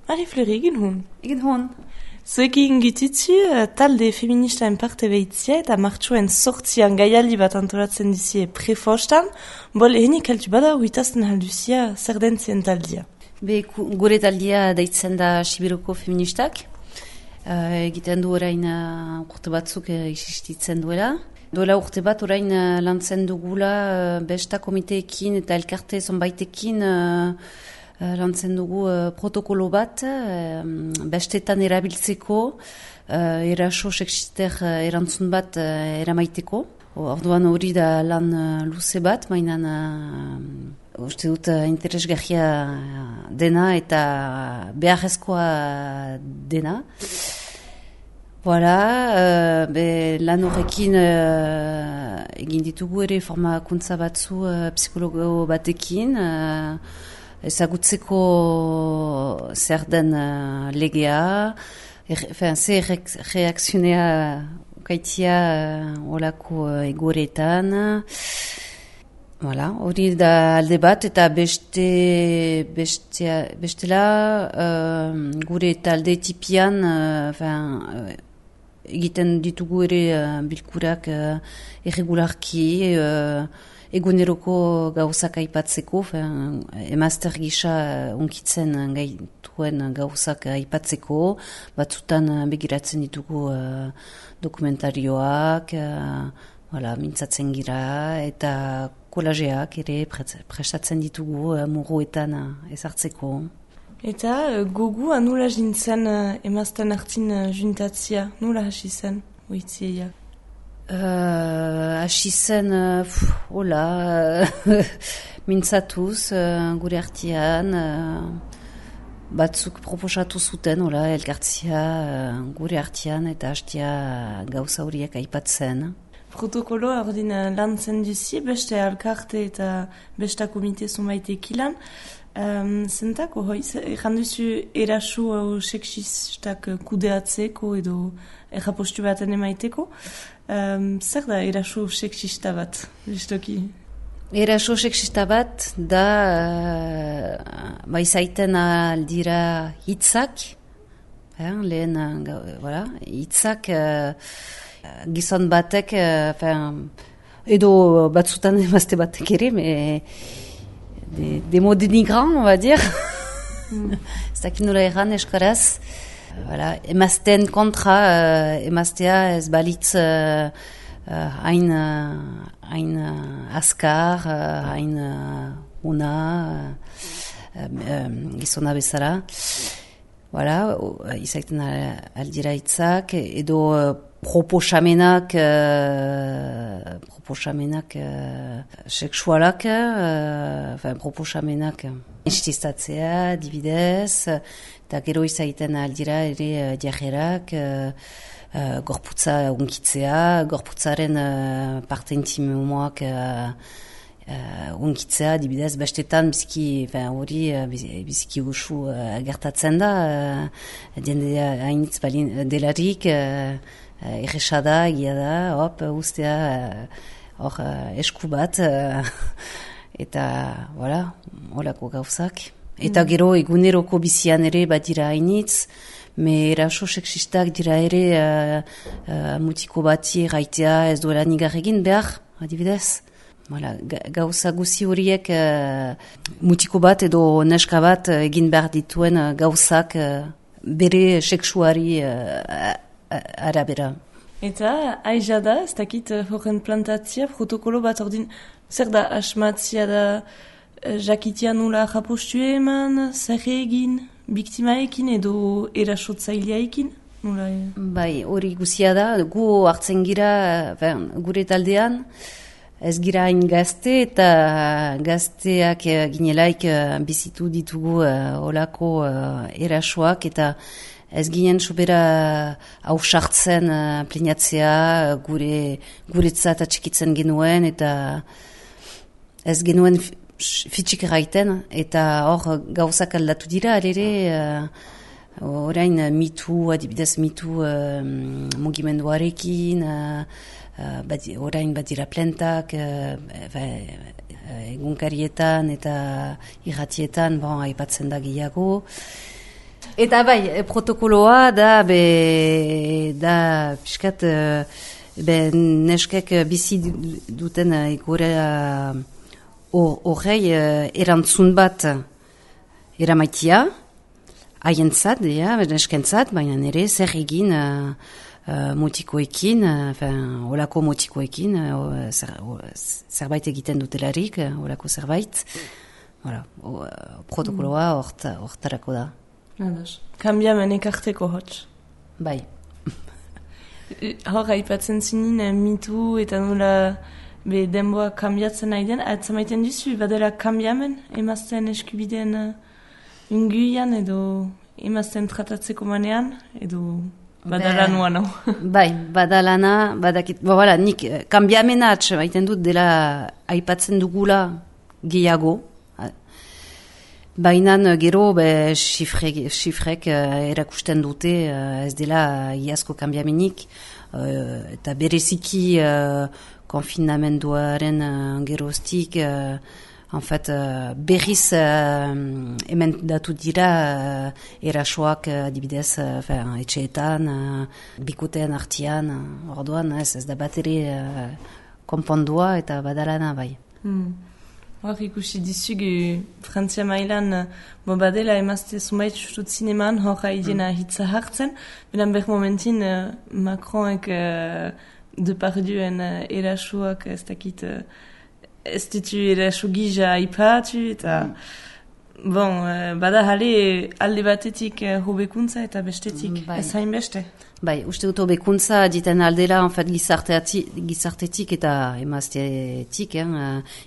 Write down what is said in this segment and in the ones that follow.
Marie-Fleur, egin hun. Egin hon. Zuekin gititzu, talde feministaen parte behitzia eta martxoen sortzian gaialdi bat antolatzen dizie prefostan, bol ehenik altu bada huitazten halduzia zer den zien taldia. Gure taldia deitzen da Sibiruko feministak. Egiten du orain urte batzuk existitzen duela. Duela urte bat orain lantzen dugula besta komiteekin eta elkarte zonbaitekin lantzen dugu protokolo bat bestetan erabiltzeko eraso seksister erantzun bat eramaiteko. Orduan hori da lan luze bat, mainan uste dut interesgarria dena eta beharrezkoa dena. Voilà, lan horrekin egin ditugu ere formakuntza batzu psikologo batekin, ezagutzeko zer den legea, ze reakzionea kaitia olako egoretan. Voilà, hori da alde bat eta bestela gure talde tipian egiten ditugu ere bilkurak irregularki eguneroko gauzak aipatzeko, emazter gisa unkitzen gaituen gauzak aipatzeko, batzutan begiratzen ditugu dokumentarioak, mintzatzen gira eta kolajeak ere prestatzen ditugu muruetan ezartzeko. Eta gogu anula jintzen emazten hartzin juntatzia, nula hasi zen, oitzieia? Hasi zen, mintzatuz gure artian, batzuk proposatu zuten, elkartzia gure artian eta hastia gauza horiek aipatzen. Protokoloa ordin lantzen duzi, beste alkarte eta besta komite zumaiteek ilan. Zentako, erranduzu eraso seksistak kudeatzeko edo errapostu baten emaiteko. Zer da eraso seksista bat, justoki? Eraso seksista bat da baizaiten aldira hitzak, lehen hitzak gizon batek, edo batzutan emazte batek ere, des mots dénigrants, on va dire. Ez dakit nola erran eskaraz. Emazten kontra, emaztea ez balitz hain askar, hain una, gizona bezala. Izaiten aldira hitzak, edo proposamenak seksualak, proposamenak instistatzea, dibidez, eta gero izaiten aldira ere diajerak, gorputza unkitzea, gorputzaren parte intimoak unkitzea, dibidez, bestetan hori biziki usu gertatzen da, jendea hainitz balin delarik, erresada, egia da, ustea esku bat, eta, holako gauzak. Eta gero eguneroko bizian ere bat dira hainitz, eraso seksistak dira ere mutiko bati gaitea ez duela nigar egin behar, adibidez. Gauza guzi horiek mutiko bat edo neska bat egin behar dituen gauzak bere seksuari arabera. Eta aiza da, ez dakit horren plantatzia, protokolo bat ordin, zer da asmatzia da jakitia nula japostu eman, zer egin, biktimaekin edo erasotzaileaekin? Bai, hori guzia da, gu hartzen gira gure taldean, ez gira hain gazte eta gazteak ginelaik bizitu ditugu olako erasoak eta ez ginen sobera hausartzen plinatzea guretzat atxikitzen genuen eta ez genuen fitxik erraiten eta hor gauzak aldatu dira alere orain adibidez mitu mugimenduarekin orain badira plentak egunkarietan eta irratietan aipatzen da gehiago. Eta bai, protokoloa da piskat neskek bizi duten egoera horrei erantzun bat eramaitia, haientzat, neskentzat, baina nire zer egin mutikoekin, olako mutikoekin, zerbait egiten dutelarik, olako zerbait. Protokoloa hortarako da. Kambiamen ekarteko hotz. Bai. Hor, haipatzen zinin, mitu eta nola denboa kambiatzen nahi den, atzamaiten duzu, badela kambiamen, emazten eskubideen unguian, edo emazten tratatzeko manean, edo badala nuan hau. Bai, badalana, badakit, nik kambiamena atzamaiten dut dela aipatzen dugula gehiago, baina gero xifrek erakusten dute ez dela iazko kambiamenik eta bereziki konfinamenduaren geroztik berriz hemen datu dira erasoak adibidez etxeetan, bikoteen artian, orduan ez da bateri konpondua eta badalana bai. Hor ikusi dizugu Frantzia mailan badela emazte zumait justut zineman hor haidena hitza hartzen, benan ber momentin Macronek Deparduen erasuak ez dakit ez ditu erasu gija aipatu eta bada jale alde batetik hobekuntza eta bestetik ez hain beste. Bai, uste dut hobekuntza diten aldela gizartetik eta emaztetik,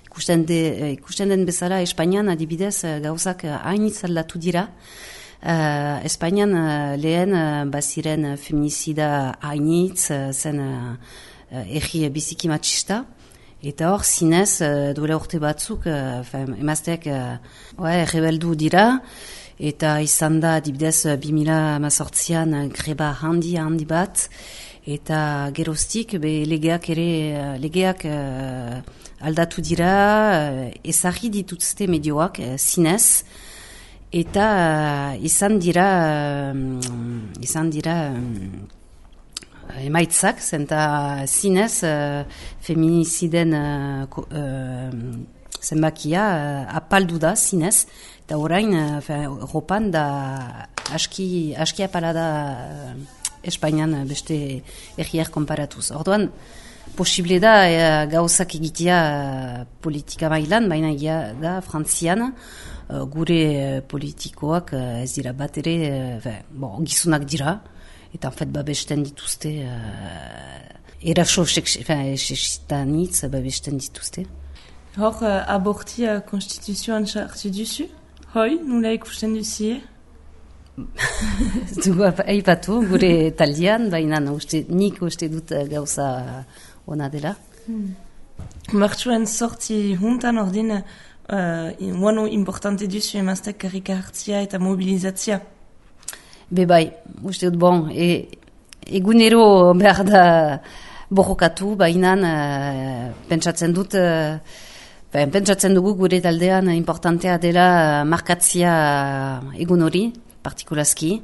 ikusten den bezala Espainian adibidez gauzak hainitz aldatu dira. Espainian lehen baziren feminizida hainitz zen erri biziki matxista. Eta hor, zinez, duela urte batzuk, emazteak rebeldu dira, eta izan da, dibidez, 2018an greba handi bat, eta geroztik, legeak aldatu dira, ezagri dituzte medioak, zinez, eta izan dira emaitzak, zenta zinez feminiziden zenbakia apaldu da zinez, eta orain Europan da aski apala da Espainian beste erriak konparatuz. Orduan, posible da gauzak egitea politika mailan, baina da Frantzian gure politikoak ez dira bat ere, gizunak dira, eta babesten dituzte eraso seksistanitz babesten dituzte. Hor, abortia konstituzioan sartu duzu? Hoi, nula ikusten duzie? Dugu aipatu, gure taldean, baina nik uste dut gauza ona dela. Martxuan sorti juntan ordin, wano importante duzu emaztek karrika hartzia eta mobilizatzia? Bai, uste dut, egunero behar da borrokatu, baina pentsatzen dugu gure taldean importantea dela markatzia egun hori, partikulazki,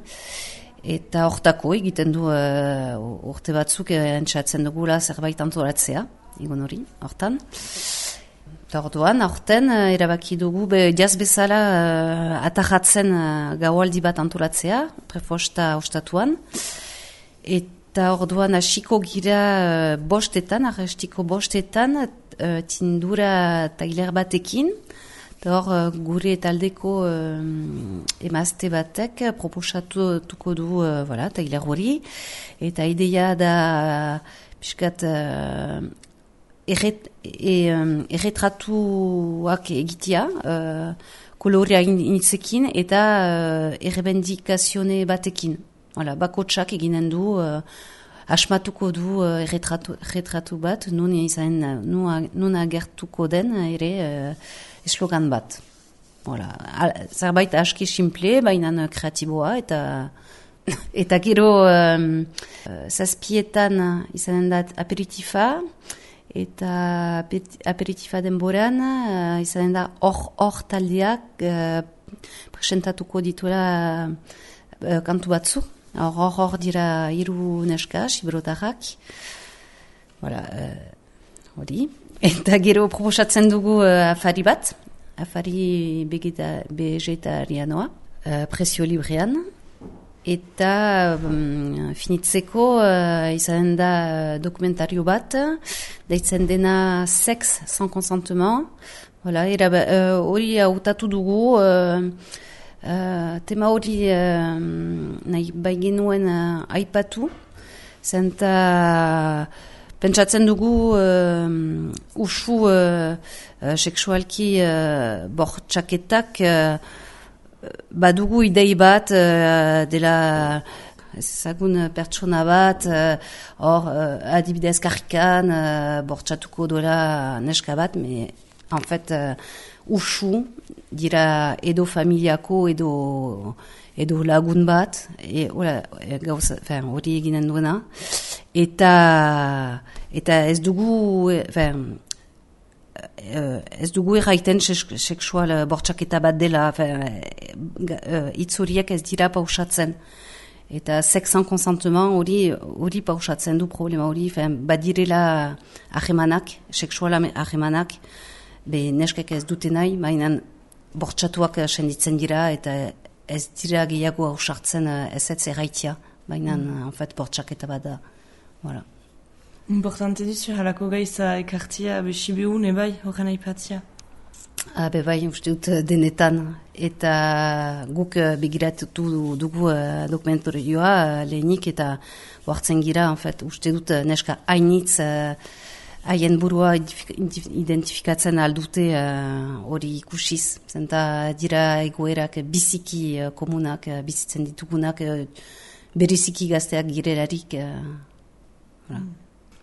eta hortako egiten du urte batzuk entzatzen dugula zerbait antolatzea, egun hori, hortan. Eta orduan, aurten erabaki dugu jaz bezala atajatzen gaualdi bat antolatzea, prefosta ostatuan. Eta orduan hasiko gira bostetan, tindura tailer batekin. Eta hor gure taldeko emazte batek proposatuko du tailer hori. Eta ideia da piskat erretratuak egitea, kolorea initzekin eta errebendikazione batekin. Bakotsak eginen du, asmatuko du erretratu bat, nun agertuko den ere eslogan bat. Zerbait aski simple, baina kreatiboa eta gero zazpietan izanen da aperitifa, eta aperitifa denboran izanen da hor taldeak presentatuko dituela kantu batzu. Hor dira 3 neska, sibrotarrak. Hori. Eta gero proposatzen dugu afari bat. Afari vegetarianoa. Prezio librean. Eta finitzeko izan da dokumentario bat, deitzen dena Sex sans consentement. Hori hautatu dugu, tema hori nahi baigenuen aipatu, zenta pentsatzen dugu usu seksualki bortxaketak badugu idei bat dela ezagun pertsona bat hor adibidez karrikan bortxatuko duela neska bat, en fait usu dira edo familiako edo lagun bat hori eginen duena eta ez dugu ez dugu erraiten seksual bortxaketa bat dela, hitz horiek ez dira pausatzen. Eta sex sans consentement hori pausatzen du problema hori, badirela ahemanak, seksual ahemanak, neskek ez dute nahi, baina bortxatuak senditzen dira eta ez dira gehiago hausartzen ez erraitia, baina en fait bortxaketa bat da. Voilà. Importante dizu, halako gaiza ekartia besibehun ebai horren aipatzia. Bai, uste dut denetan. Eta guk begiratutu dugu dokumentarioa lehenik eta oartzen gira, en fait, uste dut neska hainitz haien burua identifikatzen aldute hori ikusiz. Zenta dira egoerak biziki komunak, bizitzen ditugunak, beriziki gazteak girelarik.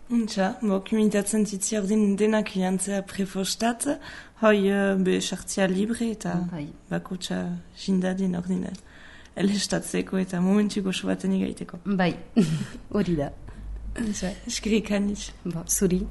Untxa, komunitatzen zitzi ordin denak jantzea prefostat, hoi sartzea libre eta bakotxa jindadin ordin elestatzeko eta momentuko sobaten igaiteko. Bai, hori da. Untxa, eskerik hanitz. Zuri.